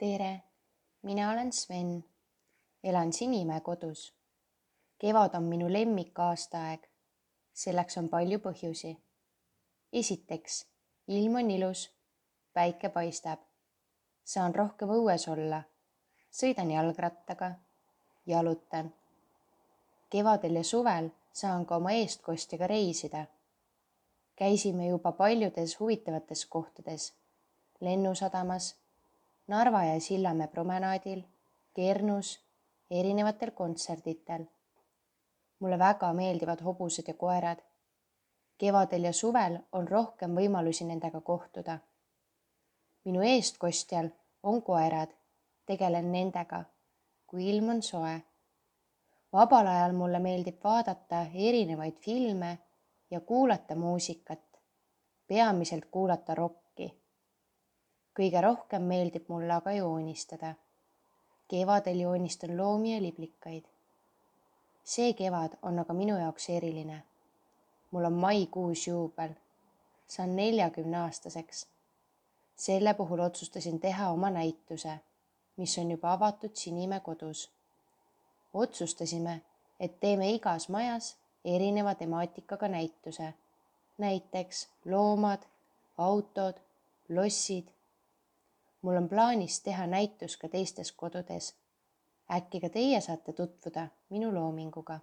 Tere, mina olen Sven. Elan Sinimäe kodus. Kevad on minu lemmikaastaaeg. Selleks on palju põhjusi. Esiteks, ilm on ilus, päike paistab. Saan rohkem õues olla. Sõidan jalgrattaga, jalutan. Kevadel ja suvel saan ka oma eestkostjaga reisida. Käisime juba paljudes huvitavates kohtades. Lennusadamas, Narva ja Sillamäe promenaadil, Kernus, erinevatel kontserditel. Mulle väga meeldivad hobused ja koerad. Kevadel ja suvel on rohkem võimalusi nendega kohtuda. Minu eestkostjal on koerad, tegelen nendega, kui ilm on soe. Vabal ajal mulle meeldib vaadata erinevaid filme ja kuulata muusikat, peamiselt kuulata rokki. Kõige rohkem meeldib mulle aga joonistada. Kevadel joonistan loomi ja liblikaid. See kevad on aga minu jaoks eriline. Mul on maikuus juubel. Saan 40-aastaseks. Selle puhul otsustasin teha oma näituse, mis on juba avatud Sinimäe kodus. Otsustasime, et teeme igas majas erineva temaatikaga näituse. Näiteks loomad, autod, lossid. Mul on plaanis teha näitus ka teistes kodudes. Äkki ka teie saate tutvuda minu loominguga.